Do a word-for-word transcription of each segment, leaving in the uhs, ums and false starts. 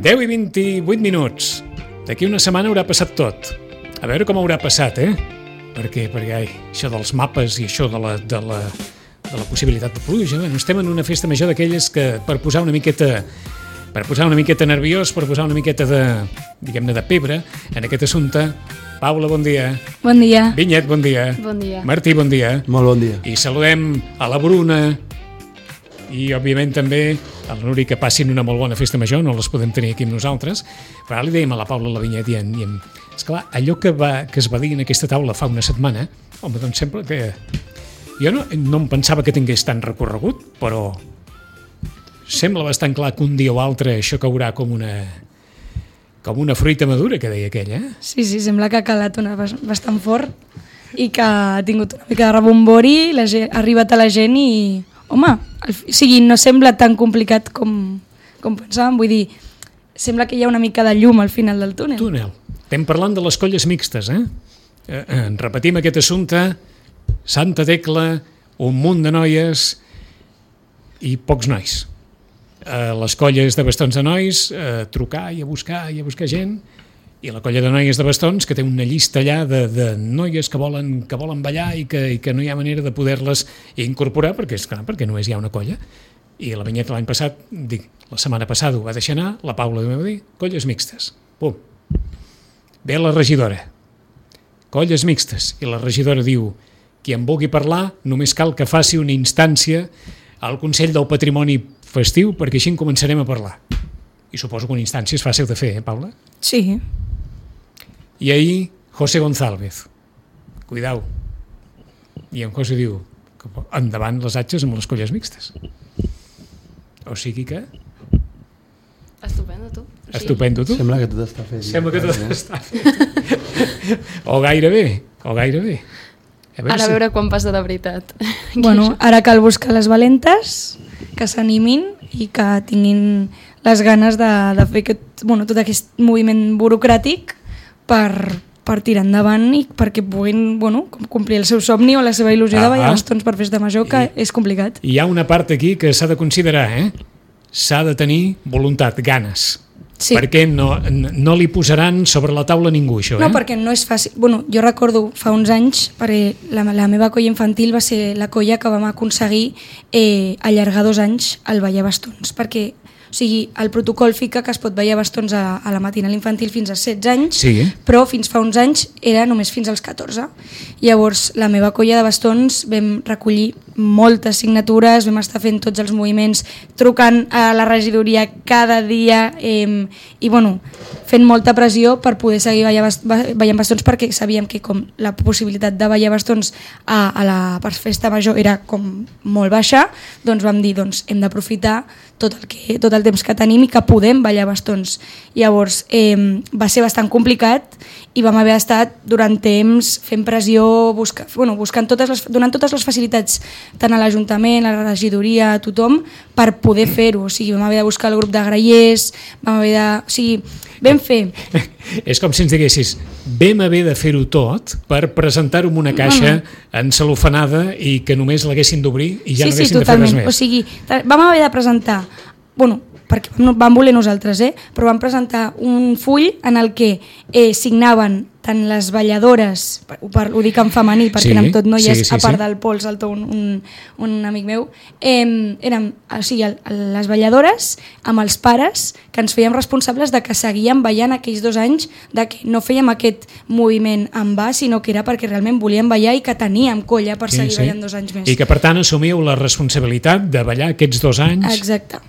deu i vint-i-vuit minuts. D'aquí una setmana haurà passat tot. A veure com haurà passat, eh? Perquè, perquè ai, això dels mapes i això de la, de la, de la possibilitat de pluja, bueno, estem en una festa major d'aquelles que per posar una miqueta per posar una miqueta nerviós, per posar una miqueta de, diguem-ne, de pebre en aquest assumpte. Paula, bon dia. Bon dia. Vinyet, bon dia. Bon dia. Martí, bon dia. Molt bon dia. I saludem a la Bruna i, òbviament, també a la Núria, que passin una molt bona festa major, no les podem tenir aquí amb nosaltres, però ara li dèiem a la Paula, a la Vinyet, i en, i en... esclar, allò que, va, que es va dir en aquesta taula fa una setmana, home, doncs sembla que... Jo no, no em pensava que tingués tant recorregut, però sembla bastant clar que un dia o altre això caurà com una... com una fruita madura, que deia aquell, eh? Sí, sí, sembla que ha calat una bastant fort i que ha tingut una mica de rebombori, la gent, ha arribat a la gent i, home, el, o sigui, no sembla tan complicat com, com pensàvem, vull dir, sembla que hi ha una mica de llum al final del túnel. Túnel. Estem parlant de les colles mixtes, eh? eh, eh repetim aquest assumpte, Santa Tecla, un munt de noies i pocs nois. A les colles de bastons de nois, a trucar i a buscar i a buscar gent, i la colla de noies de bastons, que té una llista allà de, de noies que volen, que volen ballar i que, i que no hi ha manera de poder-les incorporar, perquè és clar, perquè només hi ha una colla. I la Vinyeta l'any passat, dic, la setmana passada ho va deixar anar, la Paula va dir, colles mixtes. Pum. Ve la regidora. Colles mixtes. I la regidora diu, qui en vulgui parlar, només cal que faci una instància al Consell del Patrimoni Festiu, perquè així en començarem a parlar. I suposo que una instància és fàcil de fer, eh, Paula? Sí. I ahir, José González. Cuidao. I en José diu, endavant les atxes amb les colles mixtes. O sigui que... Estupendo, tu. Estupendo, tu. Sembla que tot està fet. Sembla que tot està fet. O gairebé, o gairebé. A veure, Ara a veure si... quan passa de veritat. Bueno, ara cal buscar les valentes, que s'animin i que tinguin les ganes de, de fer aquest, bueno, tot aquest moviment burocràtic per, per tirar endavant i perquè puguin, bueno, complir el seu somni o la seva il·lusió ah, de ballar bastons per festa major, que I, és complicat. Hi ha una part aquí que s'ha de considerar, eh? S'ha de tenir voluntat, ganes. Sí. Perquè no, no li posaran sobre la taula ningú, això, eh? No, perquè no és fàcil. Bueno, jo recordo fa uns anys, perquè la, la meva colla infantil va ser la colla que vam aconseguir eh, allargar dos anys al ballar bastons, perquè o sigui, el protocol fica que es pot ballar bastons a, a la matinal infantil fins als setze anys, sí. Però fins fa uns anys era només fins als catorze. Llavors, la meva colla de bastons vam recollir moltes signatures, vam estar fent tots els moviments, trucant a la regidoria cada dia eh, i bueno, fent molta pressió per poder seguir ballar, ballant bastons, perquè sabíem que com la possibilitat de ballar bastons a, a la festa major era com molt baixa, doncs vam dir, doncs hem d'aprofitar tot el, que, tot el temps que tenim i que podem ballar bastons. Llavors eh, va ser bastant complicat i vam haver estat durant temps fent pressió, busca, bueno, buscant totes les, donant totes les facilitats tant a l'Ajuntament, a la regidoria, a tothom, per poder fer-ho. O sigui, vam haver de buscar el grup de grallers, vam haver de... O sigui, vam fer... És com si ens diguessis, vam haver de fer-ho tot per presentar-ho en una caixa encelofanada i que només l'haguessin d'obrir i ja sí, no haguessin sí, de fer res més. O sigui, vam haver de presentar... Bueno, perquè vam voler nosaltres, eh? Però vam presentar un full en el que eh, signaven tant les balladores, per, per, ho dic en femení perquè sí, érem tot noies, sí, sí, a part sí. Del Pol Saltó, un, un, un amic meu, eh, érem o sigui, les balladores amb els pares que ens fèiem responsables de que seguíem ballant aquells dos anys, de que no fèiem aquest moviment en va, sinó que era perquè realment volíem ballar i que teníem colla per sí, seguir sí. ballant dos anys més. I que per tant assumíeu la responsabilitat de ballar aquests dos anys. Exacte.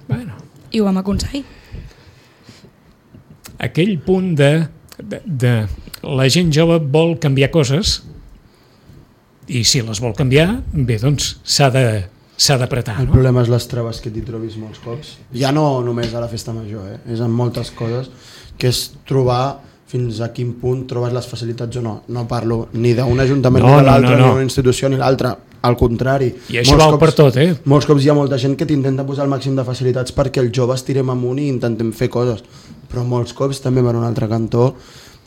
Bueno. I ho vam aconseguir. Aquell punt de, de, de la gent jove vol canviar coses i si les vol canviar, bé, doncs s'ha de s'ha d'apretar. El no? problema és les traves que t'hi trobis molts cops. Ja no només a la festa major, eh? És en moltes coses, que és trobar fins a quin punt trobes les facilitats o no. No parlo ni d'un ajuntament no, ni de l'altre, no, no, no. ni d'una institució ni l'altra. Al contrari. I això val per tot, eh? Molts cops hi ha molta gent que t'intenta posar el màxim de facilitats perquè els joves tirem amunt i intentem fer coses. Però molts cops també per un altre cantó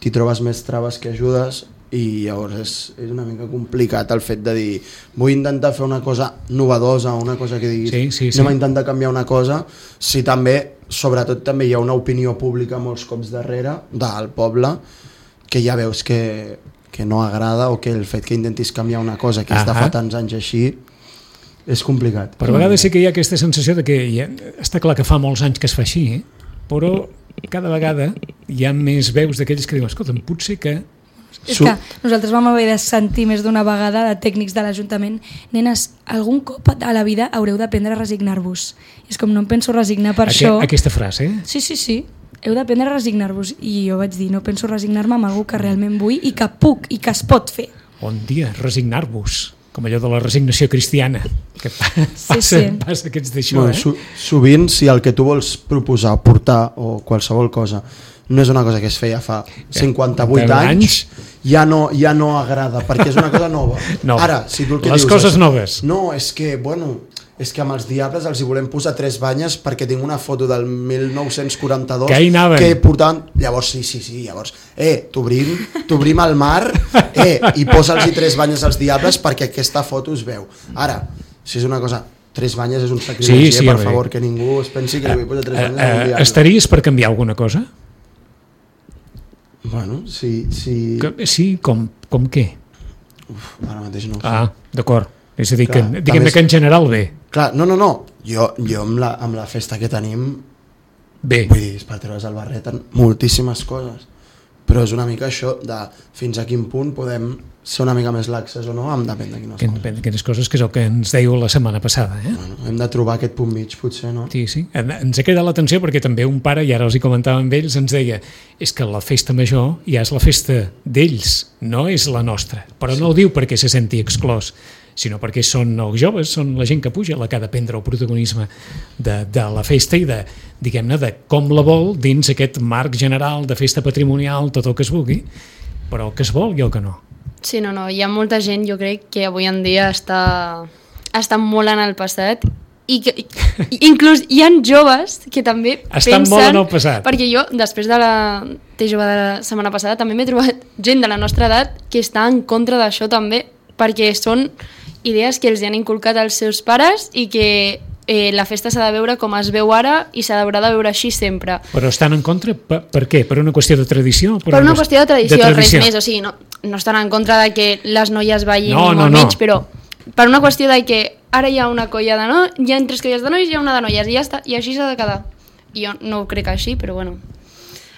t'hi trobes més traves que ajudes i llavors és, és una mica complicat el fet de dir vull intentar fer una cosa novedosa, una cosa que diguis sí, sí, sí. anem a intentar canviar una cosa, si també, sobretot també hi ha una opinió pública molts cops darrere del poble que ja veus que, que no agrada, o que el fet que intentis canviar una cosa que és de fa tants anys així és complicat. Per a vegades sí que hi ha aquesta sensació de que ja, està clar que fa molts anys que es fa així, eh? Però cada vegada hi ha més veus d'aquells que diuen escolta, potser que és que nosaltres vam haver de sentir més d'una vegada de tècnics de l'Ajuntament, nenes, algun cop a la vida haureu d'aprendre a resignar-vos. És com no em penso resignar per Aqu això. Aquesta frase, eh? Sí, sí, sí. Heu d'aprendre a resignar-vos. I jo vaig dir, no penso resignar-me amb algú que realment vull i que puc i que es pot fer. Bon dia, resignar-vos. Com allò de la resignació cristiana. Que passa, sí, sí. passa que ets d'això, bueno, eh? so, sovint, si el que tu vols proposar, portar o qualsevol cosa no és una cosa que es feia fa cinquanta-vuit anys, ja no, ja no agrada, perquè és una cosa nova. No. Ara, si tu el que les dius coses és, noves. No, és que, bueno, és que amb els Diables els hi volem posar tres banyes perquè tinc una foto del mil nou-cents quaranta-dos que, que portaven... Llavors, sí, sí, sí, llavors, eh, t'obrim, t'obrim al mar, eh, i posa'ls tres banyes als Diables perquè aquesta foto es veu. Ara, si és una cosa... Tres banyes és un sacrilegi, sí, sí, eh, per favor, que ningú es pensi que li vull posar tres banyes al Diable. Estaries per canviar alguna cosa? Bueno, sí... Sí, que, sí com, com què? Uf, ara mateix no ho sé. Ah, d'acord. És a dir, clar, que, diguem-ne que en general bé. Clar, no, no, no. Jo, jo amb, la, amb la festa que tenim... Bé. Vull dir, és per treure's el barret en moltíssimes coses. Però és una mica això de fins a quin punt podem ser una mica més laxes o no, em depèn de quines que, coses. Depèn d'aquestes coses, que és el que ens dèieu la setmana passada. Eh? Bueno, hem de trobar aquest punt mig, potser, no? Sí, sí. Ens ha cridat l'atenció perquè també un pare, i ara els hi comentava amb ells, ens deia és que la festa major ja és la festa d'ells, no és la nostra. Però sí. No ho diu perquè se senti exclòs, sinó perquè són els joves, són la gent que puja la que ha de prendre el protagonisme de, de la festa i de, diguem-ne, de com la vol dins aquest marc general de festa patrimonial, tot el que es vulgui, però el que es vol i el que no. Sí, no, no, hi ha molta gent, jo crec, que avui en dia està, està molt en el passat i que inclús hi ha joves que també estan pensen... molt en el passat. Perquè jo, després de la T jove de la setmana passada, també m'he trobat gent de la nostra edat que està en contra d'això també, perquè són idees que els han inculcat els seus pares i que eh, la festa s'ha de veure com es veu ara i s'ha d'haurà de veure així sempre. Però estan en contra? Per, per què? Per una qüestió de tradició? Per, per una qüestió de tradició, de tradició, res més. O sigui, no, no estan en contra de que les noies ballin no, ni no, molt no. menys, però per una qüestió de que ara hi ha una colla de noies, hi ha tres colles de noies i hi ha una de noies i ja està, i així s'ha de quedar. I jo no ho crec així, però bueno.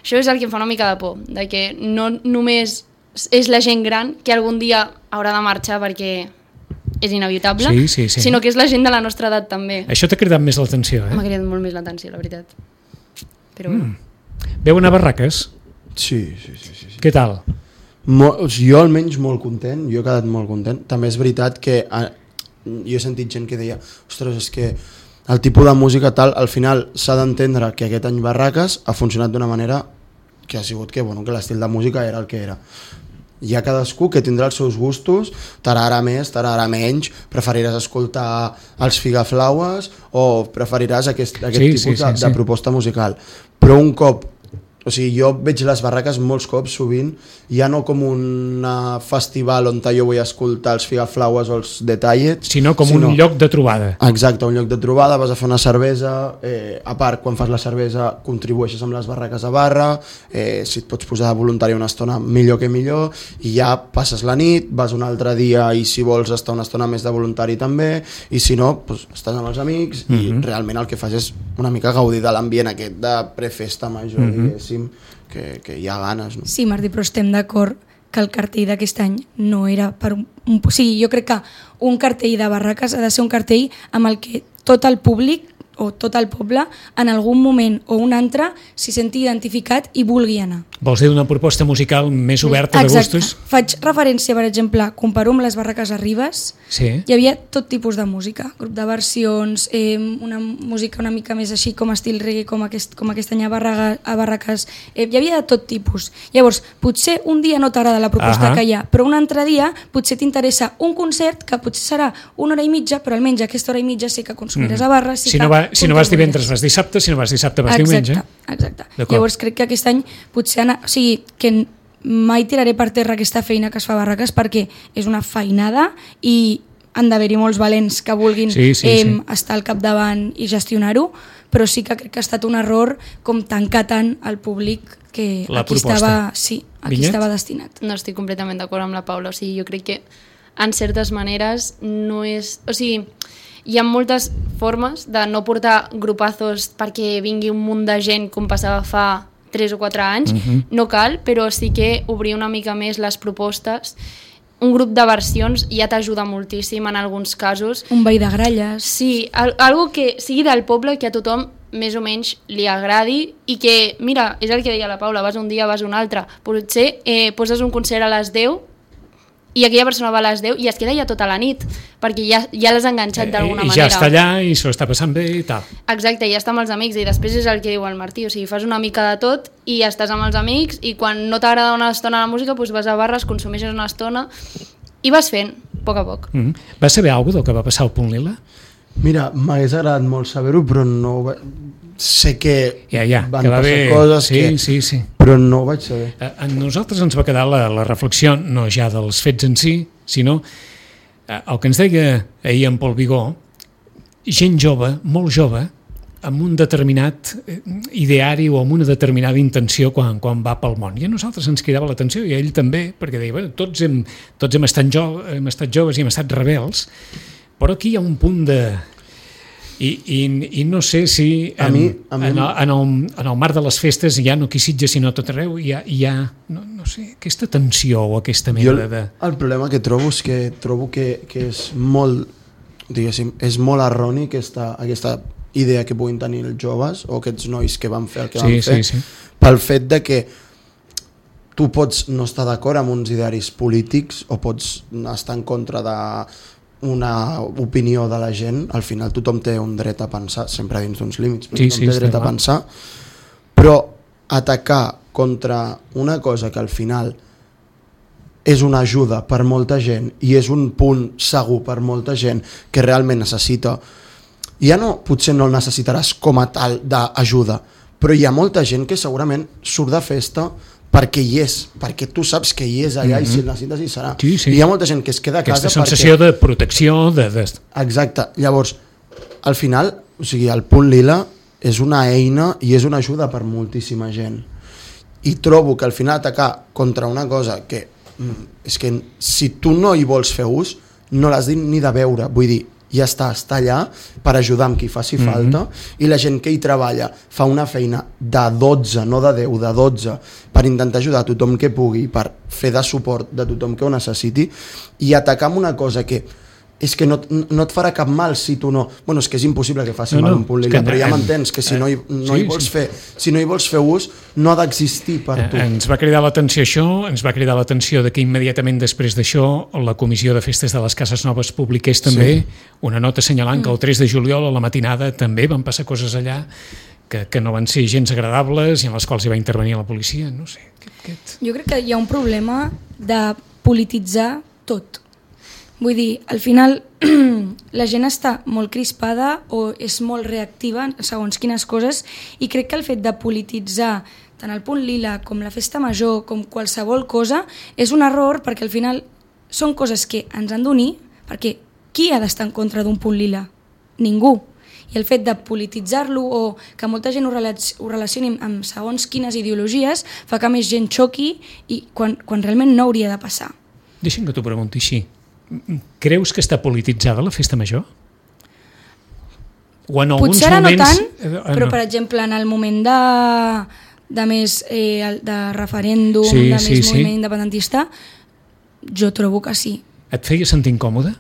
Això és el que em fa una mica de por, de que no només és la gent gran que algun dia haurà de marxar perquè és inevitable, sí, sí, sí. sinó que és la gent de la nostra edat també. Això t'ha cridat més l'atenció, eh? M'ha cridat molt més l'atenció, la veritat. Però bueno. Mm. Veu anar a Barraques? Sí, sí, sí, sí, sí. Què tal? Mol, jo almenys molt content, jo he quedat molt content. També és veritat que eh, jo he sentit gent que deia ostres, és que el tipus de música tal, al final s'ha d'entendre que aquest any Barraques ha funcionat d'una manera que ha sigut que, bueno, que l'estil de música era el que era. Hi ha cadascú que tindrà els seus gustos, tarara més, tarara menys, preferiràs escoltar els Figaflaues o preferiràs aquest, aquest sí, tipus sí, de, sí, de sí. proposta musical. Però un cop, o sigui, jo veig les Barraques molts cops, sovint, ja no com un festival on jo vull escoltar els Figaflaues o els Detallets, sinó com sinó, un lloc de trobada. Exacte, un lloc de trobada, vas a fer una cervesa, eh, a part, quan fas la cervesa contribueixes amb les barraques a barra, eh, si et pots posar de voluntari una estona millor que millor, i ja passes la nit, vas un altre dia i si vols estar una estona més de voluntari també, i si no, doncs, estàs amb els amics mm-hmm. i realment el que fas és una mica gaudir de l'ambient aquest de prefesta major, mm-hmm. diguéssim, que, que hi ha ganes. No? Sí, Martí, però estem d'acord que el cartell d'aquest any no era per un, un... O sigui, jo crec que un cartell de Barraques ha de ser un cartell amb el que tot el públic o tot el poble en algun moment o un altre s'hi senti identificat i vulgui anar. Vols dir una proposta musical més oberta de Exacte. gustos? Faig referència, per exemple, comparo amb les Barraques a Ribes, sí. Hi havia tot tipus de música, grup de versions, eh, una música una mica més així com estil reggae, com aquest, com aquest any a, Barraga, a Barraques, eh, hi havia de tot tipus. Llavors, potser un dia no t'agrada la proposta uh-huh. que hi ha, però un altre dia potser t'interessa un concert que potser serà una hora i mitja, però almenys aquesta hora i mitja sí que consumiràs uh-huh. a barra, sí si que... No va, si no vas divendres vas dissabte, si no vas dissabte vas exacte, diumenge. Exacte, llavors crec que aquest any potser anar, o sigui, que mai tiraré per terra aquesta feina que es fa a Barraques perquè és una feinada i han d'haver-hi molts valents que vulguin sí, sí, eh, sí. estar al capdavant i gestionar-ho, però sí que crec que ha estat un error com tancar tant al públic que la aquí, proposta. estava, sí, aquí Vinyet? estava destinat. No estic completament d'acord amb la Paula, o sigui, jo crec que en certes maneres no és... O sigui, hi ha moltes formes de no portar grupazos perquè vingui un munt de gent com passava fa tres o quatre anys, uh-huh. no cal, però sí que obrir una mica més les propostes. Un grup de versions ja t'ajuda moltíssim en alguns casos. Un veí de gralles. Sí, al, algo que sigui del poble que a tothom més o menys li agradi i que, mira, és el que deia la Paula, vas un dia, vas un altre. Potser eh, poses un concert a les deu i aquella persona va a les deu i es queda ja tota la nit, perquè ja, ja l'has enganxat d'alguna I manera. ja està allà i s'ho està passant bé i tal. Exacte, ja està amb els amics i després és el que diu el Martí, o sigui, fas una mica de tot i estàs amb els amics i quan no t'agrada una estona la música doncs vas a barres, consumeixes una estona i vas fent, a poc a poc. Mm -hmm. Vas saber alguna cosa del que va passar al Punt Lila? Mira, m'hagués agradat molt saber-ho, però no... Va... Sé que ja, ja, van que va passar haver... coses sí, que... Sí, sí. però no ho vaig saber. A, a nosaltres ens va quedar la, la reflexió, no ja dels fets en si, sinó eh, el que ens deia ahir en Pol Vigó, gent jove, molt jove, amb un determinat ideari o amb una determinada intenció quan, quan va pel món. I a nosaltres ens cridava l'atenció, i a ell també, perquè deia, bueno, tots hem, tots hem, estat jo, hem estat joves i hem estat rebels, però aquí hi ha un punt de... I, i, i no sé si en, a mi, a mi... en, el, en, el, en el marc de les festes ja no aquí Sitges sinó tot arreu hi ha, hi ha no, no sé, aquesta tensió o aquesta mena jo, de... el problema que trobo és que trobo que, que és molt diguéssim, és molt erroni aquesta, aquesta idea que puguin tenir els joves o aquests nois que van fer el que sí, van fer sí, sí. pel fet de que tu pots no estar d'acord amb uns idearis polítics o pots estar en contra de una opinió de la gent, al final tothom té un dret a pensar, sempre dins d'uns límits, però sí, tothom sí, té dret a pensar, però atacar contra una cosa que al final és una ajuda per molta gent i és un punt segur per molta gent que realment necessita, ja no, potser no el necessitaràs com a tal d'ajuda, però hi ha molta gent que segurament surt de festa perquè hi és, perquè tu saps que hi és allà mm-hmm. i si el necessites hi serà. Sí, sí. I hi ha molta gent que es queda a aquesta casa sensació perquè... de protecció de, de... Exacte, llavors al final, o sigui, el Punt Lila és una eina i és una ajuda per moltíssima gent i trobo que al final atacar contra una cosa que és que si tu no hi vols fer ús no l'has ni de veure, vull dir, ja està, està allà per ajudar amb qui faci mm-hmm. falta i la gent que hi treballa fa una feina de dotze, no de deu, de dotze per intentar ajudar a tothom que pugui, per fer de suport de tothom que ho necessiti i atacar amb una cosa que és que no, no et farà cap mal si tu no... Bueno, és que és impossible que faci no, mal no, un Punt Lila, però ja m'entens que si no hi, no, sí, hi vols sí. fer, si no hi vols fer ús no ha d'existir per tu. Ens va cridar l'atenció això, ens va cridar l'atenció de que immediatament després d'això la Comissió de Festes de les Cases Noves publiqués també sí. una nota assenyalant que el tres de juliol a la matinada també van passar coses allà que, que no van ser gens agradables i en les quals hi va intervenir la policia, no sé. Aquest, aquest... Jo crec que hi ha un problema de polititzar tot. Vull dir, al final la gent està molt crispada o és molt reactiva segons quines coses i crec que el fet de polititzar tant el Punt Lila com la Festa Major com qualsevol cosa és un error perquè al final són coses que ens han d'unir perquè qui ha d'estar en contra d'un Punt Lila? Ningú. I el fet de polititzar-lo o que molta gent ho, relac ho relacioni amb segons quines ideologies fa que més gent xoqui i quan, quan realment no hauria de passar. Deixa'm que t'ho pregunti així. Creus que està polititzada la Festa Major? O en alguns Potser ara moments... no tant, eh, però no. per exemple en el moment de, de més eh, de referèndum, sí, de sí, més moviment sí. independentista, jo trobo que sí. Et feia sentir incòmode?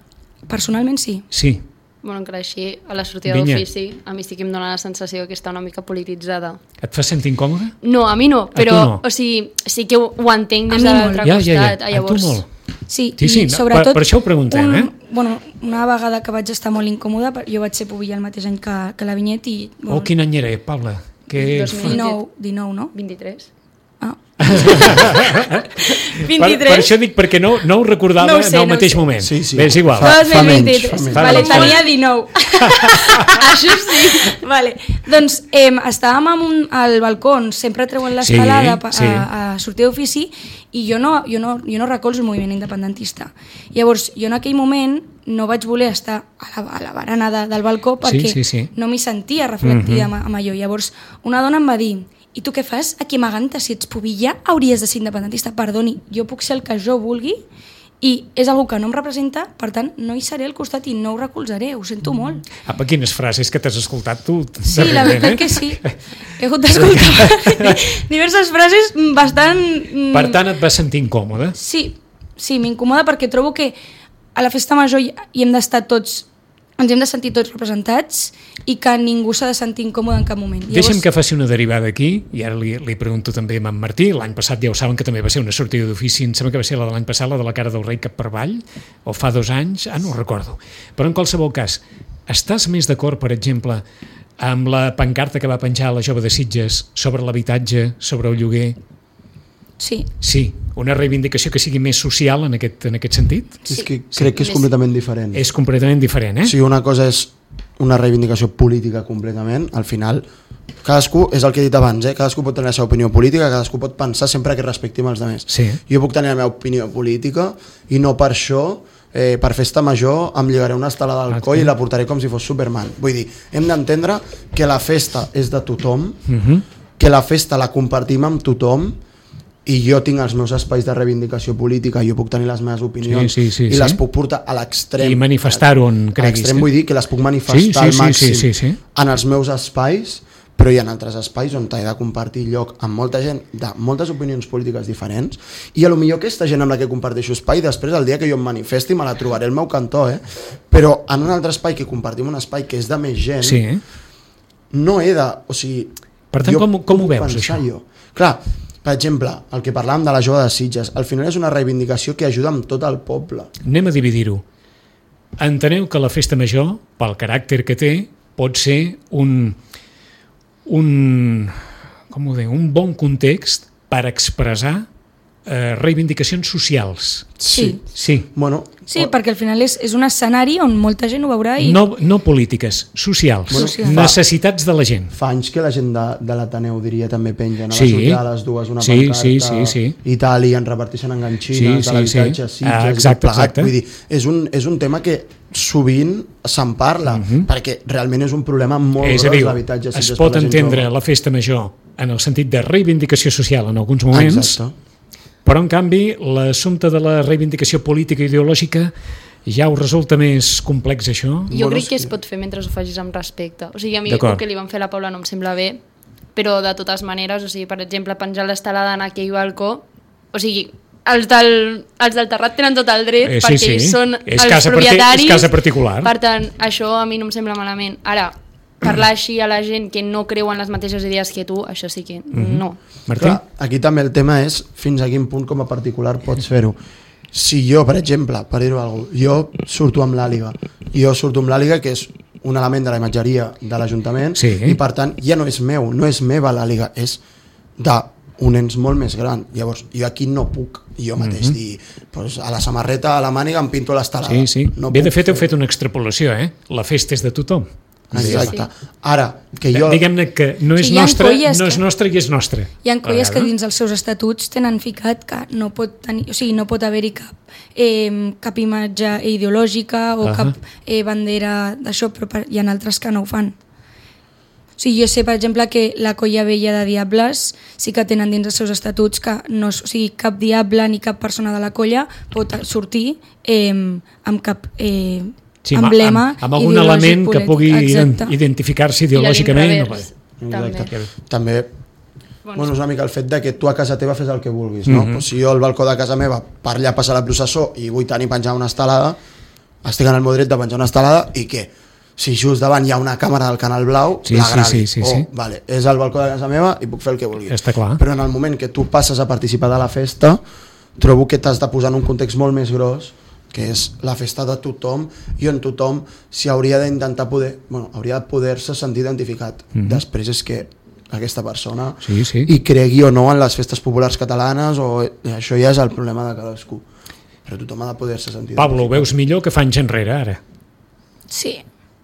Personalment sí. Sí. Bueno, encara així, a la sortida d'ofici, a mi sí que em dona la sensació que està una mica polititzada. Et fa sentir incòmode? No, a mi no, però no? O sigui, sí que ho, ho entenc des A mi de molt. l'altre Ja, costat. ja, ja. A Llavors, tu molt. Sí, Sí, sí, i no, sobretot... per- per això ho preguntem, un, eh? Bueno, una vegada que vaig estar molt incòmoda, jo vaig ser pubilla el mateix any que, que la Vinyet i... Bueno, Oh, quin any era, Paula? Que dos mil dinou, dinou, no? vint-i-tres. Ah. vint-i-tres. Per, per això dic, perquè no, no ho recordava no ho sé, en el no mateix sé. moment. Sí, sí. Bé, és igual. Fa, fa dos mil menys. vint-i-tres. Fa Vale, menys. tenia dinou. Això sí. Vale. Doncs eh, estàvem amb un, al balcó on sempre treuen l'escalada Sí, a, sí. a, a sortir d'ofici i jo no, jo, no, jo no recolzo el moviment independentista. Llavors, jo en aquell moment no vaig voler estar a la, a la barana de, del balcó perquè Sí, sí, sí. no m'hi sentia reflectida mm-hmm. amb, amb allò. Llavors, una dona em va dir: i tu què fas aquí amagant-te? Si ets pubilla, hauries de ser independentista. Perdoni, jo puc ser el que jo vulgui i és algú que no em representa, per tant, no hi seré al costat i no ho recolzaré, ho sento molt. Apa, quines frases que t'has escoltat tu. Sí, la veritat eh? que sí. He hagut d'escoltar diverses frases bastant... Per tant, et vas sentir incòmode? Sí, sí, m'incomoda perquè trobo que a la festa major hi hi hem d'estar tots, ens hem de sentir tots representats i que ningú s'ha de sentir incòmode en cap moment. Llavors... Deixa'm que faci una derivada aquí, i ara li, li pregunto també a en Martí. L'any passat ja ho saben que també va ser una sortida d'ofici, em sembla que va ser la de l'any passat, la de la cara del rei cap per avall, o fa dos anys, ah, no ho recordo. Però en qualsevol cas, estàs més d'acord, per exemple, amb la pancarta que va penjar la jove de Sitges sobre l'habitatge, sobre el lloguer? Sí. Sí, una reivindicació que sigui més social en aquest, en aquest sentit? Sí. És que crec que és completament diferent. És completament diferent, eh? O sigui, una cosa és una reivindicació política completament, al final cadascú, és el que he dit abans, eh? Cadascú pot tenir la seva opinió política, cadascú pot pensar sempre que respectim els altres. Sí. Jo puc tenir la meva opinió política i no per això, eh, per festa major, em lligaré una estelada al coll i la portaré com si fos Superman. Vull dir, hem d'entendre que la festa és de tothom, Uh-huh. que la festa la compartim amb tothom i jo tinc els meus espais de reivindicació política, jo puc tenir les meves opinions Sí, sí, sí, i sí. les puc portar a l'extrem. I manifestar-ho on A creguis. l'extrem vull dir que les puc manifestar Sí, sí, al sí, màxim sí, sí, sí. en els meus espais, però hi ha altres espais on he de compartir lloc amb molta gent de moltes opinions polítiques diferents i a lo millor aquesta gent amb la que comparteixo espai després el dia que jo em manifesti me la trobaré al meu cantó, eh? Però en un altre espai que compartim un espai que és de més gent, Sí, eh? no he de... O sigui, Per tant, jo com- com ho puc veus, pensar això? Jo. Clar, per exemple, el que parlàvem de la jove de Sitges, al final és una reivindicació que ajuda amb tot el poble. Anem a dividir-ho. Enteneu que la festa major, pel caràcter que té, pot ser un, un, com ho deia, un bon context per expressar eh, reivindicacions socials. Sí. Sí. Bueno, Sí, perquè al final és, és un escenari on molta gent ho veurà i... No, no polítiques, socials. Bueno, Socials. Necessitats de la gent. fa anys que la gent de, de l'Ateneu, diria, també penja, no? Sí. Va sortir a les dues una Sí, pancarta sí, sí, sí. i tal, i en reparteixen enganxines Sí, de sí, l'habitatge, sí. Sitges, Ah, i exacte, tot plegat. exacte. Vull dir, és un, és un tema que sovint se'n parla, Mhm. perquè realment és un problema molt És a gros dir, l'habitatge. a es Sitges pot per la gent entendre jove. la festa major en el sentit de reivindicació social en alguns moments, Exacte. però en canvi l'assumpte de la reivindicació política i ideològica ja us resulta més complex, això? Jo Bueno, crec que sí. es pot fer mentre ho facis amb respecte. O sigui, a mi D'acord. el que li van fer a la Paula no em sembla bé, però de totes maneres, o sigui, per exemple, penjar l'estelada en aquell balcó, o sigui, els del, els del terrat tenen tot el dret Eh, sí, perquè sí. ells són És els casa parti- propietaris. és casa particular. Per tant, això a mi no em sembla malament. Ara, parlar així a la gent que no creu en les mateixes idees que tu, això sí que no. Martí? Clar, aquí també el tema és fins a quin punt com a particular pots fer-ho. Si jo, per exemple, per dir-ho alguna cosa, jo surto amb l'àliga, jo surto amb l'àliga que és un element de la imatgeria de l'Ajuntament Sí. i per tant ja no és meu, no és meva l'àliga, és d'un ens molt més gran. Llavors jo aquí no puc jo mateix Mhm. dir pues, a la samarreta, a la màniga em pinto l'estelada. Sí, sí. No Bé, de puc fet, heu fer-ho. fet una extrapolació, eh? La festa és de tothom. Exacte. Sí. Ara, que jo... Diguem-ne que no és Sí, hi ha nostra, colles no és que- nostra i és nostra. Hi ha colles A que vegades. dins els seus estatuts tenen ficat que no pot tenir, o sigui, no pot haver-hi cap, eh, cap imatge ideològica o Ahà. cap eh, bandera d'això, però per, hi ha altres que no ho fan. O sigui, jo sé, per exemple, que la colla vella de Diables sí que tenen dins els seus estatuts que no, o sigui, cap diable ni cap persona de la colla pot sortir eh, amb cap eh, Sí, amb- emblema amb, amb algun ideològic element que polític. pugui Exacte. identificar-se I a ideològicament. l'inrevés, No, també. Exacte. També Bueno, bueno, és una mica el fet de que tu a casa teva fes el que vulguis, no? Mhm. Pues si jo al balcó de casa meva per allà passa la processó i vull tenir penjar una estelada, estic en el meu dret de penjar una estelada i què? Si just davant hi ha una càmera del Canal Blau, Sí, la sí, gravi. sí, sí, oh, sí. Vale, és al balcó de casa meva i puc fer el que vulgui. Està clar. Però en el moment que tu passes a participar de la festa, trobo que t'has de posar en un context molt més gros, que és la festa de tothom i on tothom s'hi hauria d'intentar poder, bueno, hauria de poder-se sentir identificat. Mhm. Després és que aquesta persona sí, sí. i cregui o no en les festes populars catalanes, o això ja és el problema de cadascú, però tothom ha de poder-se sentir. Pablo, ho veus millor que fa anys enrere ara? Sí.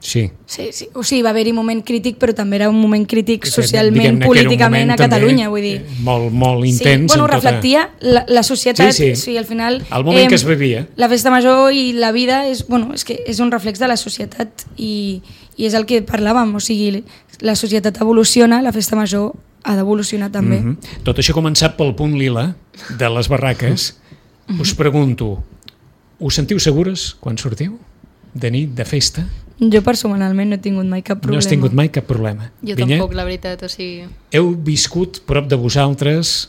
Sí. Sí, sí. O sigui, va haver-hi un moment crític, però també era un moment crític Que, socialment, diguem-ne, que era un políticament moment a Catalunya, també, vull dir. eh, Molt, molt Sí, intens. bueno, en tota- reflectia la, la societat, Sí, sí. o sigui, al final... El moment que es vivia. La festa major i la vida és, bueno, és, que és un reflex de la societat i, i és el que parlàvem, o sigui, la societat evoluciona, la festa major ha d'evolucionar també. Mm -hmm. Tot això ha començat pel punt lila de les barraques. Mm -hmm. Us pregunto, us sentiu segures quan sortiu? De nit, de festa? Jo personalment no he tingut mai cap problema. No has tingut mai cap problema. Jo Vinyet? tampoc, la veritat, o sigui... Heu viscut prop de vosaltres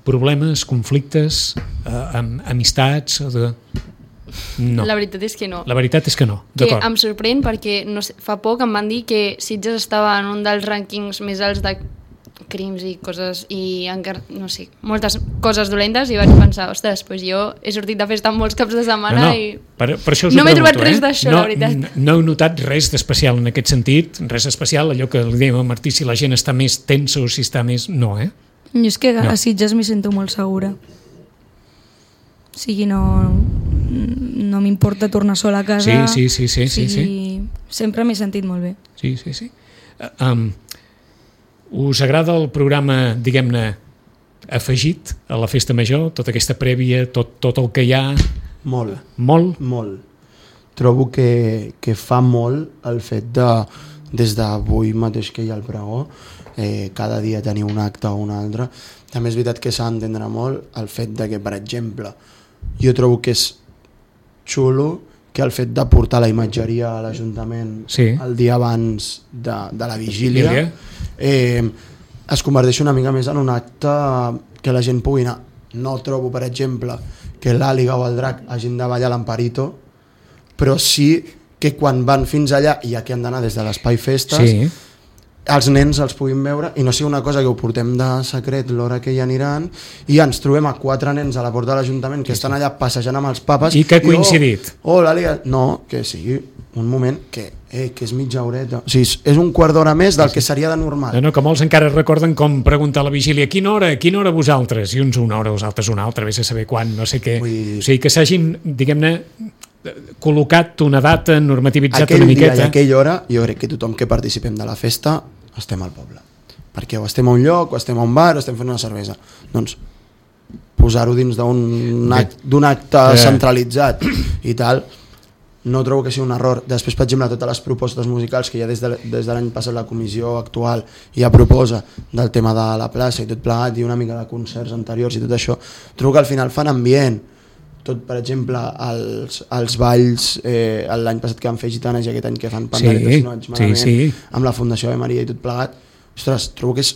problemes, conflictes, eh, amb amistats o de... No. La veritat és que no. La veritat és que no, Que d'acord. em sorprèn perquè no sé, fa poc em van dir que Sitges estava en un dels rànquings més alts de crims i coses i encara, no sé, moltes coses dolentes i vaig pensar, ostres, doncs jo he sortit de festa molts caps de setmana no, no. i Per, per això us no ho m'he pregunto, trobat res eh? d'això, no, la veritat. No, no heu notat res d'especial en aquest sentit, res especial, allò que li dèiem a Martí, si la gent està més tensa o si està més... No, eh? Jo és que No. a Sitges m'hi sento molt segura. O sigui, no, no m'importa tornar sola a casa. Sí, sí, sí, sí, o sí, sigui, sempre m'he sentit molt bé. Sí, sí, sí. Uh, um, us agrada el programa, diguem-ne, afegit a la festa major, tota aquesta prèvia, tot, tot el que hi ha? Molt. Molt? Molt. Trobo que, que fa molt el fet de, des d'avui mateix que hi ha el pregó, eh, cada dia tenir un acte o un altre. També és veritat que s'ha d'entendre molt el fet de que, per exemple, jo trobo que és xulo que el fet de portar la imatgeria a l'Ajuntament Sí. el dia abans de, de la vigília, Vigília. eh, es converteix una mica més en un acte que la gent pugui anar. No trobo, per exemple, que l'Àliga o el Drac hagin de ballar l'Amparito, però sí que quan van fins allà, i ja que han d'anar des de l'Espai Festes, Sí. els nens els puguin veure i no sigui una cosa que ho portem de secret l'hora que hi aniran i ens trobem a quatre nens a la porta de l'Ajuntament que estan allà passejant amb els papes I que ha coincidit. oh, oh l'Àliga, no, que sigui un moment que, eh, que és mitja horeta, o sigui, és un quart d'hora més del que seria de normal. No, no, que molts encara recorden com preguntar a la vigília quina hora, quina hora vosaltres? I uns una hora, els altres una altra, vés a saber quan, no sé què. Vull dir- O sigui, que s'hagin, diguem-ne, col·locat una data, normativitzat Aquell una dia miqueta. i aquella hora jo crec que tothom que participem de la festa estem al poble, perquè o estem a un lloc o estem a un bar o estem fent una cervesa, doncs posar-ho dins d'un act, d'un acte Eh. centralitzat i tal, no trobo que sigui un error. Després, per exemple, totes les propostes musicals que ja des de, des de l'any passat la comissió actual ja proposa del tema de la plaça i tot plegat i una mica de concerts anteriors i tot això, trobo que al final fan ambient. Tot, per exemple, els, els balls, eh, l'any passat que van fer gitanes i aquest any que fan panderetes, Sí, si no vaig malament, sí, sí. amb la Fundació Ave Maria i tot plegat, ostres, trobo que és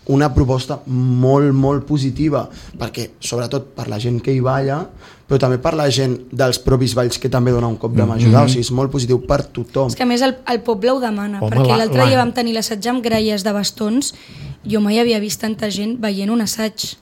una proposta molt, molt positiva, perquè sobretot per la gent que hi balla, però també per la gent dels propis balls que també dona un cop de mà ajudar, Mhm. o sigui, és molt positiu per tothom. És que a més el, el poble ho demana, Home, perquè la- l'altre la- dia vam tenir l'assaig amb gralles de bastons, jo mai havia vist tanta gent veient un assaig.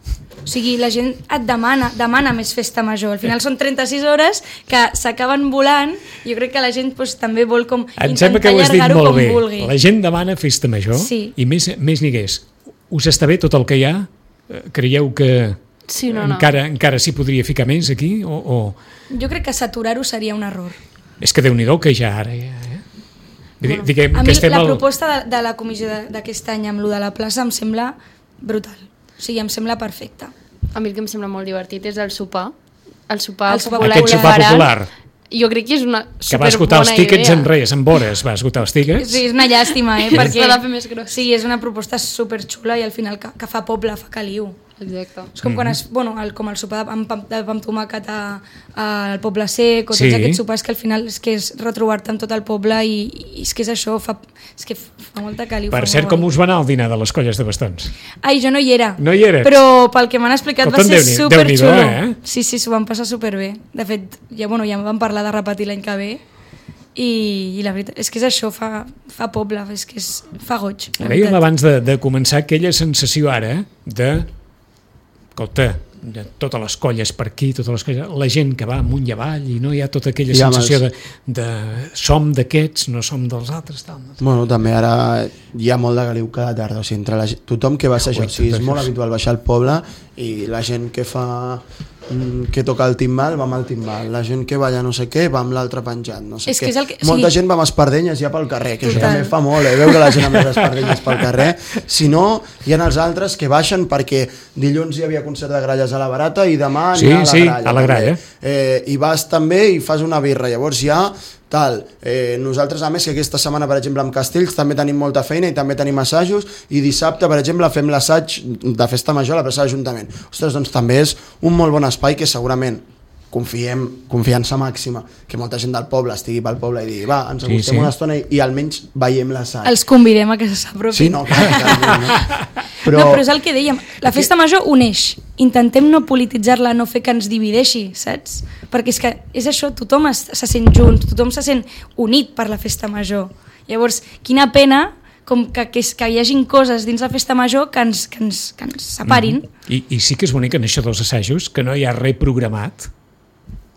O sigui, la gent et demana, demana més festa major. Al final són trenta-sis hores que s'acaben volant. Jo crec que la gent doncs, també vol com Em sembla que intentar ho has dit allargar-ho molt com bé. vulgui. La gent demana festa major Sí. i més, més n'hi hagués. Us està bé tot el que hi ha? Eh, Creieu que Sí, no, no. encara, encara s'hi podria ficar més aquí? O, o... Jo crec que saturar-ho seria un error. És que Déu-n'hi-do que ja ara... Ja, eh? Bueno, diguem A que mi estem la al... proposta de, de la comissió de- d'aquest any amb lo de la plaça em sembla brutal. O sigui, em sembla perfecta. A mi el que em sembla molt divertit és el sopar. El sopar, El sopar popular. Aquest sopar Barat. popular. Jo crec que és una Que va esgotar els tíquets en res, en hores va esgotar els tíquets. Sí, és una llàstima, eh? perquè S'ha de fer més gros. Sí, és una proposta superxula i al final que, que fa poble, fa caliu. Exacte. És com Mhm. quan es, bueno, el, com el sopar amb, pam- de pa amb tomàquet a- al Poble Sec o tots Sí. aquests sopars que al final és que és retrobar-te amb tot el poble i, i és que és això, fa, és que fa molta caliu. Per fa cert, molt com guai. us va anar el dinar de les colles de bastons? Ai, jo no hi era. No hi eres? Però pel que m'han explicat Escolta'm, va ser Déu-n'hi- superxulo. Déu-n'hi-do, eh? Sí, sí, s'ho van passar superbé. De fet, ja, bueno, ja em van parlar de repetir l'any que ve i, i la veritat és que és això, fa, fa poble, és que és, fa goig. la Dèiem veritat. abans de, de començar aquella sensació ara de... Escolta, totes les colles per aquí, totes les colles, la gent que va amunt i avall i no hi ha tota aquella Ja, sensació de, mas... de som d'aquests, no som dels altres. Tal. Bueno, també ara hi ha molt de galiu cada tarda, o sigui, entre la gent, tothom que va assajar, o sigui, és molt habitual baixar al poble i la gent que fa que toca el timbal va amb el timbal, la gent que balla no sé què va amb l'altre penjat, no sé és què. Que que, molta sí. gent va amb espardenyes ja pel carrer, que Total. això també fa molt, eh? Veure la gent amb les espardenyes pel carrer. Si no, hi ha els altres que baixen perquè dilluns hi havia concert de gralles a la Barata i demà sí, n'hi ha a la sí, gralla. A la gralla. Eh, I vas també i fas una birra, llavors ja tal, eh, nosaltres a més que aquesta setmana per exemple amb Castells també tenim molta feina i també tenim assajos i dissabte per exemple fem l'assaig de Festa Major a la plaça de l'Ajuntament. Ostres, doncs també és un molt bon espai que segurament confiem, confiança màxima que molta gent del poble estigui pel poble i digui va, ens acostem sí, sí. una estona i, i almenys veiem l'assaig. Els convidem a que s'apropin. Sí, no, clar, clar, no. Però... no, però és el que dèiem, la Festa Major uneix, intentem no polititzar-la, no fer que ens divideixi, saps? Perquè és que és això, tothom es, se sent junt, tothom se sent unit per la Festa Major. Llavors, quina pena com que, que, que hi hagin coses dins la Festa Major que ens, que ens, que ens separin. Mm-hmm. I, I sí que és bonic en això dels assajos, que no hi ha res programat,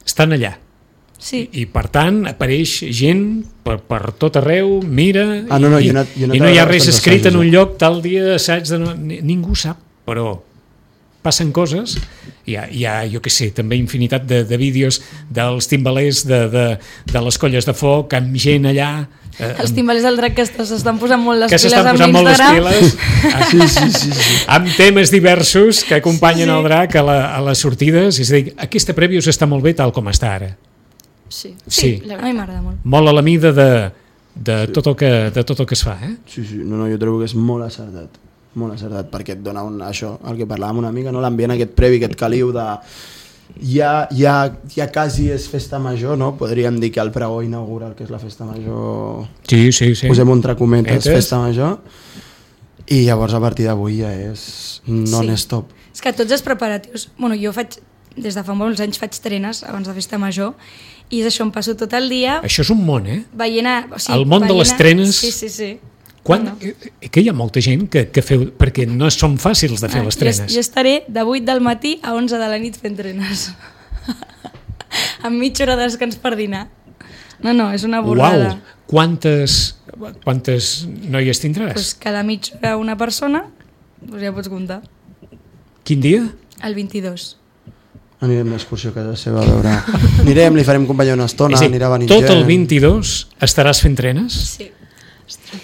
estan allà. Sí. I, I per tant apareix gent per, per tot arreu, mira, ah, no, no, i, i, no, i, no, i no hi ha res escrit assajos, en un lloc tal dia assaig de no, ningú sap, però passen coses, hi ha, hi ha jo què sé, també infinitat de, de vídeos dels timbalers de, de, de les colles de foc amb gent allà eh, els timbalers del drac que s'estan posant molt les que piles amb posant molt les l'Instagram piles sí, sí, sí, sí. amb temes diversos que acompanyen sí, sí. el drac a, la, a les sortides, és a dir, aquesta prèvius està molt bé tal com està ara. Sí, sí. a mi m'agrada molt. Molt a la mida de, de, sí. tot el que, de tot el que es fa, eh? Sí, sí, no, no, jo trobo que és molt acertat, molt acertat, perquè et dona un, això, el que parlàvem una mica, no? L'ambient aquest previ, aquest caliu de... Ja, ja, ja quasi és Festa Major, no? Podríem dir que el pregó inaugura el que és la Festa Major... Sí, sí, sí. Posem entre cometes, Etes. Festa Major, i llavors a partir d'avui ja és non-stop. Sí. És que tots els preparatius... Bueno, jo faig, des de fa molts anys faig trenes abans de Festa Major, i és això, em passo tot el dia... Això és un món, eh? Veient a, o sigui, el món de les trenes... Sí, sí, sí. Quan, no, no. Que hi ha molta gent que, que feu... Perquè no són fàcils de fer ah, les trenes. Jo, jo estaré de vuit del matí a onze de la nit fent trenes. Amb mitja hora de descans per dinar. No, no, és una borrada. Uau! Quantes, quantes noies tindràs? Pues cada mitja hora una persona, pues ja pots comptar. Quin dia? El vint-i-dos. Anirem d'excursió a casa seva a veure... Anirem, li farem companyia una estona, dir, anirà venint tot gent. el vint-i-dos estaràs fent trenes? Sí.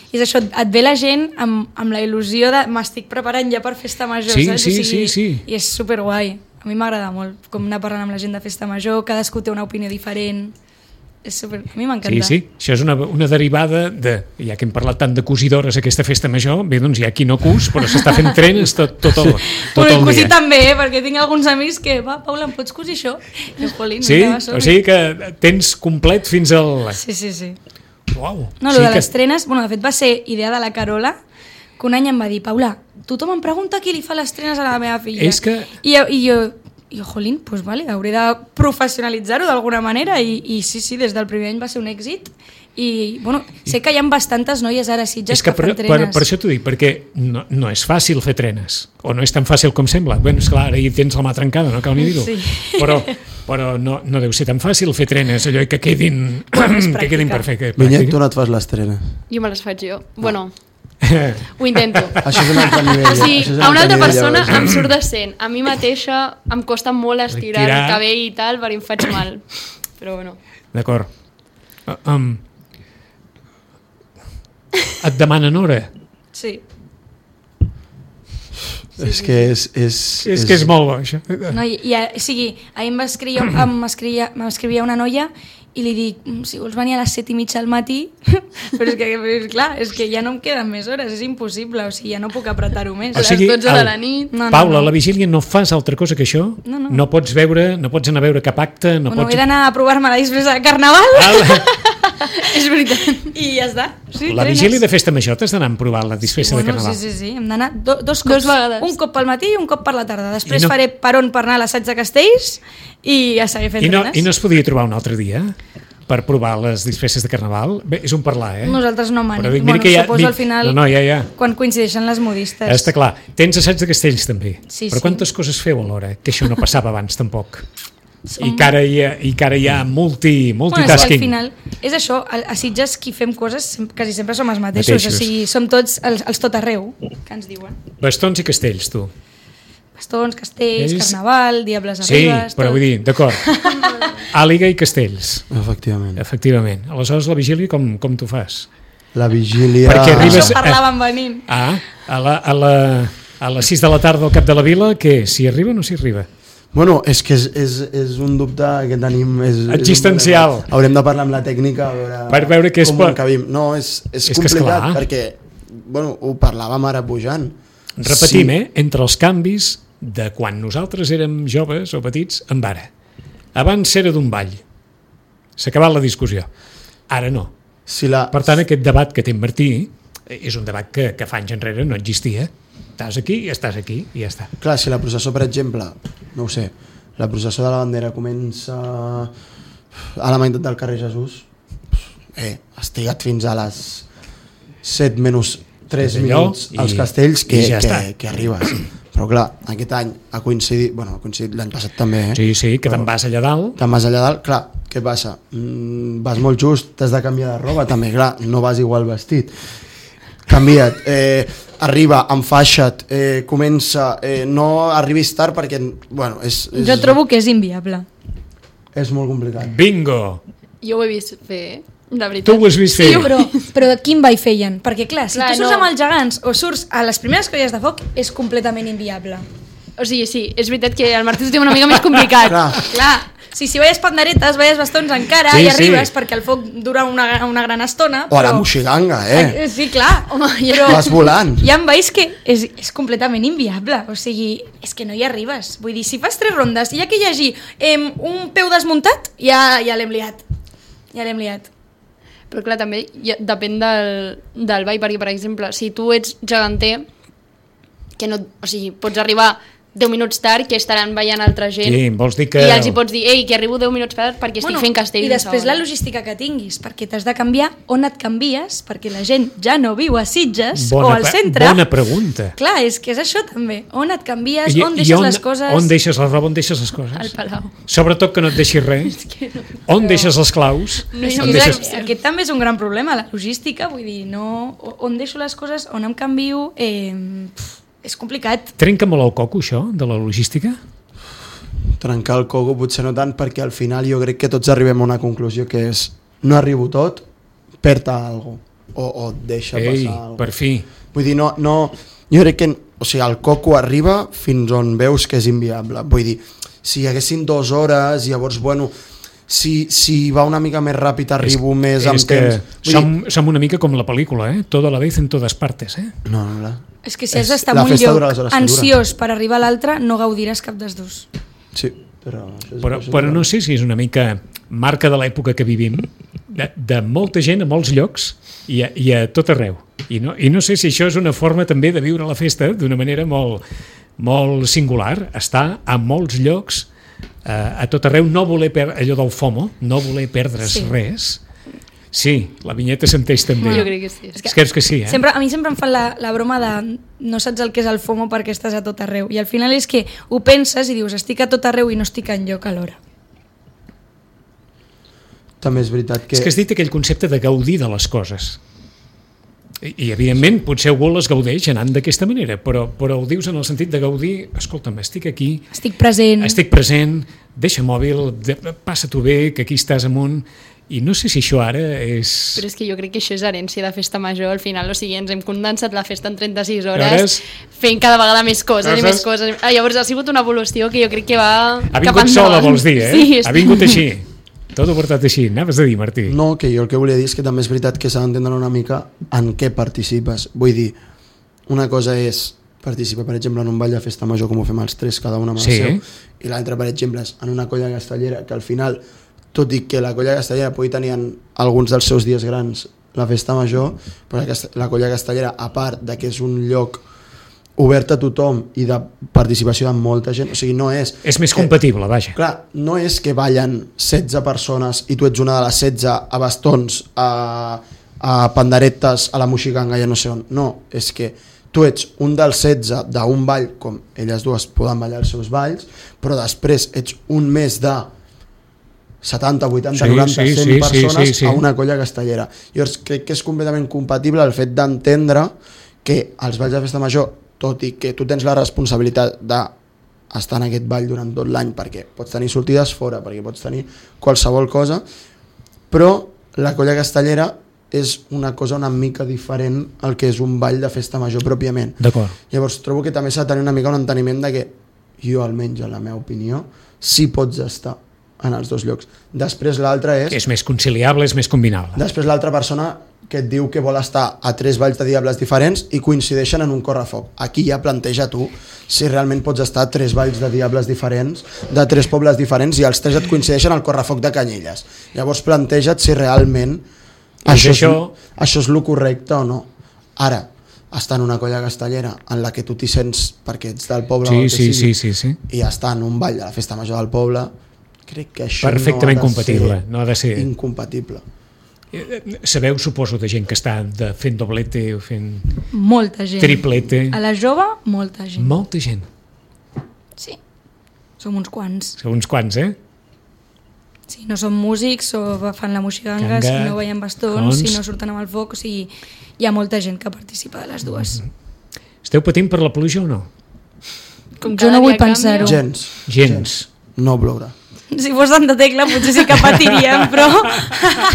I és això, et ve la gent amb, amb la il·lusió de m'estic preparant ja per Festa Major, sí, saps? Sí, o sigui, sí, sí. I és superguai. A mi m'agrada molt com anar parlant amb la gent de Festa Major, cadascú té una opinió diferent. És super... A mi m'encanta. Sí, sí, això és una, una derivada de, ja que hem parlat tant de cosidores aquesta Festa Major, bé, doncs hi ha qui no cus, però s'està fent trenes tot, tot el, tot bueno, el cosir dia. també, eh? Perquè tinc alguns amics que, va, Paula, em pots cosir això? I, Jolín, sí, o sigui que tens complet fins al... Sí, sí, sí. Uau. No, sí lo de que... les trenes, bueno, de fet va ser idea de la Carola, que un any em va dir, Paula, tothom em pregunta qui li fa les trenes a la meva filla. És que... I, i jo, i jo, jolín, pues vale, hauré de professionalitzar-ho d'alguna manera i, i sí, sí, des del primer any va ser un èxit i, bueno, sé que hi ha bastantes noies ara a Sitges que, que fan per, trenes. Per, per això t'ho dic, perquè no, no és fàcil fer trenes, o no és tan fàcil com sembla. Bueno, esclar, ara hi tens la mà trencada, no cal ni dir-ho. Sí. Però, però no, no deu ser tan fàcil fer trenes, allò que quedin, que quedin perfectes. Vinyet, tu no et fas les trenes? Jo me les faig jo. No. Bueno, ho intento. Això és un altre nivell. O sigui, és un a una altra nivell, persona llavors. em surt decent. A mi mateixa em costa molt estirar Retirar. el cabell i tal, perquè em faig mal. Però bueno. D'acord. Uh, um, et demanen hora? Sí. Sí, és que és... És, és que és molt bo, això. No, i, i, o sigui, ahir em va escriure, em escrivia, m'escrivia una noia i li dic, si vols venir a les set i mitja al matí, però és que, clar, és que ja no em queden més hores, és impossible, o sigui, ja no puc apretar-ho més. O sigui, a les dotze de la nit. No, no, Paula, no. a la vigília no fas altra cosa que això? No, no. No pots veure, no pots anar a veure cap acte, no Bueno, pots... he d'anar a provar-me la disfressa de Carnaval. És veritat. I ja està. Sí, La trenes. vigília de Festa Major t'has d'anar a provar la disfressa bueno, de Carnaval. Sí, sí, sí. Hem d'anar do, dos cops. Dos vegades. Un cop pel matí i un cop per la tarda. Després no... faré peron per anar a l'assaig de Castells i a seguir fent I no, trenes. I no es podia trobar un altre dia? per provar les disfresses de carnaval? Bé, és un parlar, eh? Nosaltres no, man. Però dic, Bueno, mira que hi ha- suposo dic- al final, no, no, ja, ja. quan coincideixen les modistes. Està clar. Tens assaig de castells, també. Sí, Però sí. quantes coses feu alhora? Que això no passava abans, tampoc. Som- I que ara hi ha, i que ara hi ha multi, Bueno, és que multitasking. al final és això, a a Sitges qui fem coses sem- quasi sempre som els mateixos, Mateixos. o sigui, som tots els, els tot arreu que ens diuen. Bastons i castells, tu. Bastons, castells, És- carnaval, diables Sí, arribes... però tot. vull dir, d'acord. Àliga i castells, Efectivament. efectivament. Aleshores, la vigília com, com t'ho fas? La vigília... Perquè arribes- Això parlàvem venint. Ah, a, la, a, la, a les sis de la tarda al cap de la vila, què? S'hi arriba o no s'hi arriba? Bueno, és que és, és, és un dubte que tenim... És, és un Existencial. problema. Haurem de parlar amb la tècnica a veure, Per veure què és com per- ho encabim. No, és, és, És que complicat esclar. perquè, bueno, ho parlàvem ara pujant. Repetim, eh? Entre els canvis de quan nosaltres érem joves o petits amb ara. Abans era d'un ball. S'ha acabat la discussió. Ara no. Si la, Per tant, aquest debat que té en Martí és un debat que, que fa anys enrere no existia. Estàs aquí i estàs aquí i ja està. Clar, si la processó, per exemple, no ho sé, la processó de la bandera comença a la meitat del carrer Jesús, eh, has trigat fins a les set menys tres És allò, minuts als i- castells que, i ja que, està. que arribes. Però clar, aquest any ha coincidit, bueno, ha coincidit l'any passat també, eh? Sí, sí, que te'n vas allà dalt. Te'n vas allà dalt, clar, què passa? Mm, vas molt just, t'has de canviar de roba també, clar, no vas igual vestit. Canvia't, eh, arriba, enfaixa't, eh, comença, eh, no arribis tard perquè, bueno, és, és, Jo trobo que és inviable. és molt complicat. Bingo! Jo ho he vist fer, la veritat. Tu ho has vist fer. Sí, però, però quin ball feien? Perquè clar, si Clar, tu surts no. amb els gegants o surts a les primeres colles de foc, és completament inviable. O sigui, sí, és veritat que el Martí ho té una mica més complicat. Clar. Clar, si, si veies panderetes, veies bastons encara Sí, i arribes sí. perquè el foc dura una, una gran estona. O a la però- moxiganga, eh? Eh, Sí, clar, home, però Vas volant. hi ha balls que és, és completament inviable, o sigui, és que no hi arribes. Vull dir, si fas tres rondes i hi ha que llegir eh, un peu desmuntat, ja, ja l'hem liat. Ja l'hem liat. Però clar, també ja, depèn del, del ball, perquè, per exemple, si tu ets geganter, que no, o sigui, pots arribar deu minuts tard, que estaran ballant altra gent, Sí, vols dir que... i els hi pots dir, ei, que arribo deu minuts tard perquè estic fent castells. I després la logística que tinguis, perquè t'has de canviar on et canvies, perquè la gent ja no viu a Sitges o al pe- centre. Bona pregunta. Clar, és que és això també. On et canvies, I- on i deixes les coses... On deixes la roba, on deixes les coses? Al Palau. Sobretot que no et deixis res. On deixes les claus? No hi És ha On que deixes... és, aquest també és un gran problema, la logística, vull dir, no, on deixo les coses, on em canvio, eh, pf, és complicat. Trenca molt el coco, això, de la logística? Trencar el coco potser no tant, perquè al final jo crec que tots arribem a una conclusió que és no arribo tot, perd alguna cosa o, o deixa Ei, passar alguna per fi. Vull dir, no, no, jo crec que o sigui, el coco arriba fins on veus que és inviable. Vull dir, si hi haguessin dues hores, llavors, bueno, si, si va una mica més ràpid arribo és, més és amb que temps. Vull som, som una mica com la pel·lícula, eh? Todo a la vez en todas partes, eh? dir, no, no, no. És que si has És- d'estar la en un festa lloc dura les hores que dura. ansiós per arribar a l'altre, no gaudiràs cap dels dos. Sí, però... Això és, Però, això és però no igual. sé si és una mica marca de l'època que vivim, de, de molta gent a molts llocs i a, i a tot arreu. I no, I no sé si això és una forma també de viure la festa d'una manera molt, molt singular, estar a molts llocs, eh, a tot arreu, no voler perdre allò del FOMO, no voler perdre's Sí. res. Sí, la vinyeta s'enteix també. Jo crec que sí. És que, és que sí, eh? Sempre, a mi sempre em fan la, la broma de no saps el que és el FOMO perquè estàs a tot arreu. I al final és que ho penses i dius estic a tot arreu i no estic enlloc alhora. També és veritat que... És que has dit aquell concepte de gaudir de les coses. I, i evidentment, potser algú les gaudeix anant d'aquesta manera, però, però ho dius en el sentit de gaudir, escolta'm, estic aquí, Estic present. estic present, deixa mòbil, de, passa-t'ho bé, que aquí estàs amunt, i no sé si això ara és... Però és que jo crec que això és herència de festa major, al final, o sigui, ens hem condensat la festa en trenta-sis hores, Hores. fent cada vegada més coses Coses. i més coses. Ah, llavors ha sigut una evolució que jo crec que va Ha cap vingut sola, endavant. vols dir, eh? Sí, Ha vingut així. Tot ho portat així. Anaves a dir, Martí. No, que jo el que volia dir és que també és veritat que s'ha d'entendre una mica en què participes. Vull dir, una cosa és participar, per exemple, en un ball de festa major com ho fem els tres, cada un amb el Sí. seu, i l'altre, per exemple, és en una colla castellera, que al final, tot i que la colla castellera pugui tenir en alguns dels seus dies grans la festa major, però la, cast- la colla castellera, a part de que és un lloc obert a tothom i de participació de molta gent, o sigui, no és... És més que, compatible, vaja. Clar, no és que ballen setze persones i tu ets una de les setze a bastons, a, a panderetes, a la moxiganga, ja no sé on. No, és que tu ets un dels setze d'un ball, com elles dues poden ballar els seus balls, però després ets un més de setanta, vuitanta, sí, noranta, sí, cent sí, persones sí, sí, sí. a una colla castellera. Llavors crec que és completament compatible el fet d'entendre que els balls de festa major, tot i que tu tens la responsabilitat d'estar en aquest ball durant tot l'any, perquè pots tenir sortides fora, perquè pots tenir qualsevol cosa, però la colla castellera és una cosa una mica diferent al que és un ball de festa major pròpiament. D'acord. Llavors trobo que també s'ha de tenir una mica un enteniment de que jo, almenys en la meva opinió, sí pots estar en els dos llocs. Després l'altre és... És més conciliable, és més combinable. Després l'altra persona que et diu que vol estar a tres balls de diables diferents i coincideixen en un correfoc. Aquí ja planteja tu si realment pots estar a tres balls de diables diferents, de tres pobles diferents, i els tres et coincideixen al correfoc de Canyelles. Llavors planteja't si realment això, això... És, això és lo correcte o no. Ara, estar en una colla castellera en la que tu t'hi sents perquè ets del poble sí, o el que sí, sigui, sí, sí, sí. i estar en un ball de la festa major del poble, crec que això perfectament no ha de compatible, ser no ha de ser incompatible. Sabeu, suposo, de gent que està de fent doblete o fent Molta gent. triplete. A la jove, molta gent. Molta gent. Sí. Som uns quants. Són uns quants, eh? Si no són músics o fan la moxiganga, Ganga, si no veien bastons, cons. si no surten amb el foc, o sigui, hi ha molta gent que participa de les dues. Esteu patint per la pluja o no? Com Jo cada no vull dia canvia. Gens. pensar-ho. Gens. Gens. No plourà. Si fos Santa Tecla potser sí que patiríem, però...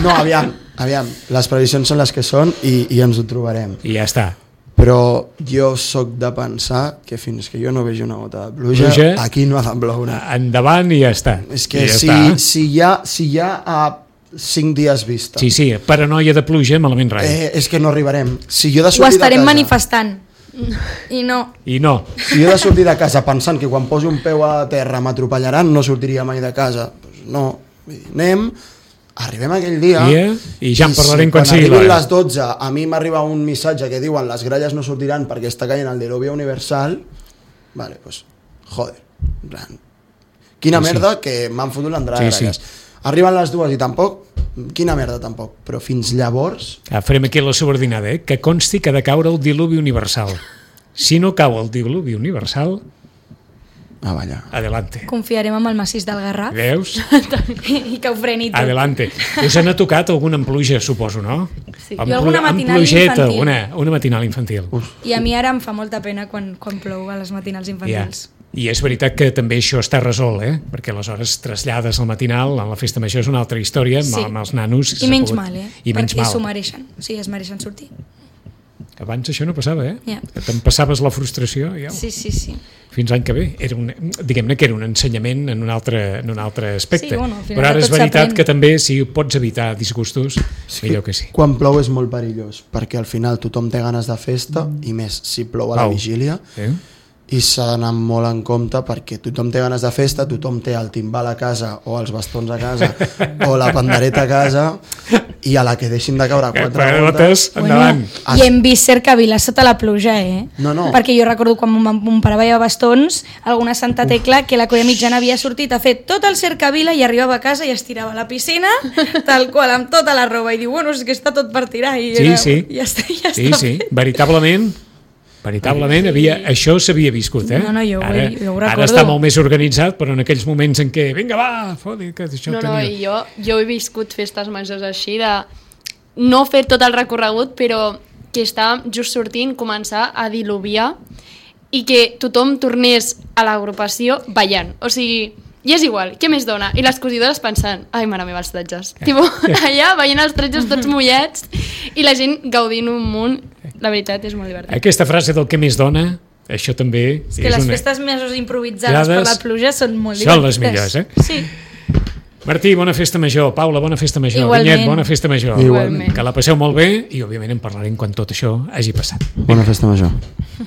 No, aviam, aviam, les previsions són les que són i, i ens ho trobarem. I ja està. Però jo sóc de pensar que fins que jo no vegi una gota de pluja, Pluja. aquí no ha de ploure. Endavant i ja està. És que I ja si, està. si, hi ha, si hi ha a cinc dies vista, Sí, sí, paranoia de pluja, malament res. eh, és que no arribarem. Si jo he de Ho sortir de estarem casa, manifestant. I no. I no. si jo he de sortir de casa pensant que quan posi un peu a terra m'atropellaran, no sortiria mai de casa. Pues no, vull dir, anem, arribem aquell dia, Dia, i ja en parlarem quan si sigui quan arribin l'hora. les dotze a mi m'arriba un missatge que diuen les gralles no sortiran perquè està caient el diluvio universal, vale, pues, joder, en plan, quina Sí, sí. merda que m'han fotut l'entrada Sí, de gralles. Arriben les dues i tampoc, quina merda tampoc, però fins llavors... Ah, farem aquí la subordinada, eh? Que consti que ha de caure el diluvi universal. Si no cau el diluvi universal, Ah, vaja. adelante. Confiarem amb el massís del Garraf Veus? i que ho freni tot. Adelante. Us n'ha tocat alguna amb pluja, suposo, no? Sí. Amb Jo alguna plu- amb matinal plugeta, infantil. Una, una matinal infantil. I a mi ara em fa molta pena quan, quan plou a les matinals Ja. infantils. I és veritat que també això està resolt, eh? Perquè aleshores trasllades al matinal, en la festa major és una altra història, amb, Sí. amb els nanos... I s'ha menys pogut- mal, eh? I menys Perquè s'ho mal. mereixen. O sigui, es mereixen sortir. Abans això no passava, eh? Ja. Te'n passaves la frustració, ja. Sí, sí, sí. Fins l'any que ve. Era un, diguem-ne que era un ensenyament en un altre, en un altre aspecte. Sí, bueno, al final Però ara de és tot veritat s'aprèn. que també si pots evitar disgustos, millor que sí. Quan plou és molt perillós, perquè al final tothom té ganes de festa, i més si plou a la Au. vigília, Eh? i s'ha d'anar molt en compte perquè tothom té ganes de festa, tothom té el timbal a casa o els bastons a casa o la pandereta a casa, i a la que deixin de caure quatre Quatre gotes... gotes, endavant. Bueno, i hem vist cercaviles sota la pluja, eh? No, no. Perquè jo recordo quan mon, mon pare veia bastons, alguna Santa Tecla, que la colla mitjana havia sortit a fer tot el cercavila i arribava a casa i es tirava a la piscina, tal qual, amb tota la roba, i diu, bueno, és que està tot per tirar. I Sí, era, sí. Ja està, ja Sí, està sí, fet. veritablement, veritablement, havia, això s'havia viscut, eh? No, no, jo ho- ara, jo ho ara recordo. està molt més organitzat, però en aquells moments en què, vinga, va, fodi, que això No, no, tenia... i jo, jo he viscut festes majors així de no fer tot el recorregut, però que està just sortint, començar a diluviar i que tothom tornés a l'agrupació ballant. O sigui, i és igual, què més dona? I les cosidores pensant, ai, mare meva, els tretges. Tipo, allà veient els tretges tots mullets i la gent gaudint un munt. La veritat és molt divertit. Aquesta frase del que més dona, això també És que és les una... festes majors improvisades per la pluja són molt Són les divertides. millors, eh? Sí. Martí, bona festa major. Paula, bona festa major. Igualment. Vinyet, bona festa major. Igualment. Que la passeu molt bé i, òbviament, en parlarem quan tot això hagi passat. Bona festa major.